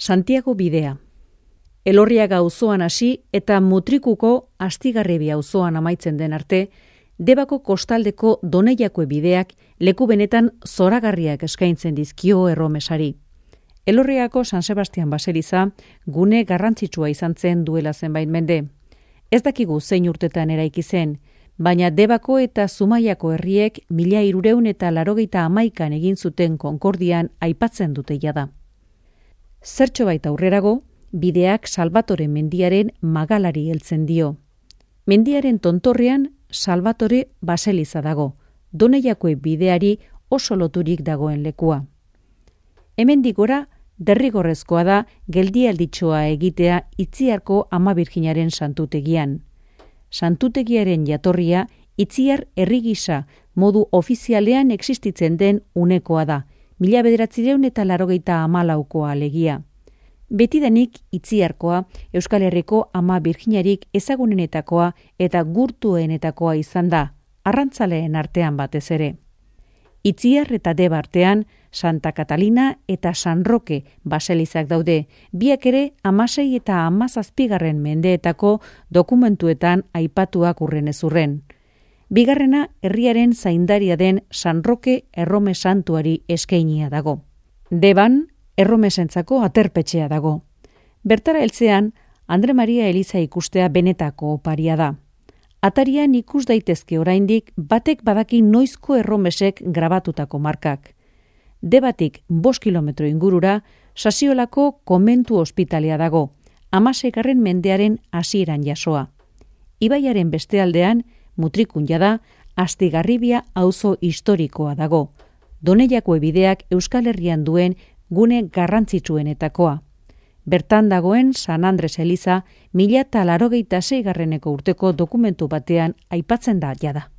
Santiago bidea. Elorriaga auzoan hasi eta Mutrikuko Astigarrebi auzoan amaitzen den arte, Debako kostaldeko Doneiakue bideak leku benetan zoragarriak eskaintzen dizkio erromesari. Elorriagako San Sebastian baseliza gune garrantzitsua izan zen duela zenbait mende. Ez dakigu zein urtetan eraiki zen, baina Debako eta Zumaiako herriek 1381an egin zuten konkordian aipatzen dute jada. Zertxo baita aurrerago, bideak Salvatore mendiaren magalari heltzen dio. Mendiaren tontorrean Salvatore baseliza dago, Doneiakue bideari oso loturik dagoen lekua. Hemendik gora, derrigorrezkoa da geldialditxoa egitea Itziarko Ama Birjinaren santutegian. Santutegiaren jatorria Itziar herri gisa modu ofizialean existitzen den unekoa da, 1984koa alegia. Betidanik Itziarkoa Euskal Herriko Ama Birjinarik ezagunenetakoa eta gurtuenetakoa izan da, arrantzaleen artean batez ere. Itziar eta Deba artean Santa Catalina eta San Roque baselizak daude, biak ere 16 eta 17 mendeetako dokumentuetan aipatuak urrenez urren. Bigarrena herriaren zaindaria den San Roque errome santuari eskainia dago. Deban erromesentzako aterpetxea dago. Bertara heltzean, Andre Maria Eliza ikustea benetako oparia da. Atarian ikus daitezke oraindik batek badaki noizko erromesek grabatutako markak. Debatik 5 kilometro ingurura, Sasiolako komentu ospitalea dago, 16. mendearen hasieran jasoa. Ibaiaren beste aldean, Mutrikun jada, Astigarribia auzo historikoa dago. Doneiakue bideak Euskal Herrian duen gune garrantzitsuenetakoa. Bertan dagoen San Andres eliza 1086 urteko dokumentu batean aipatzen da jada.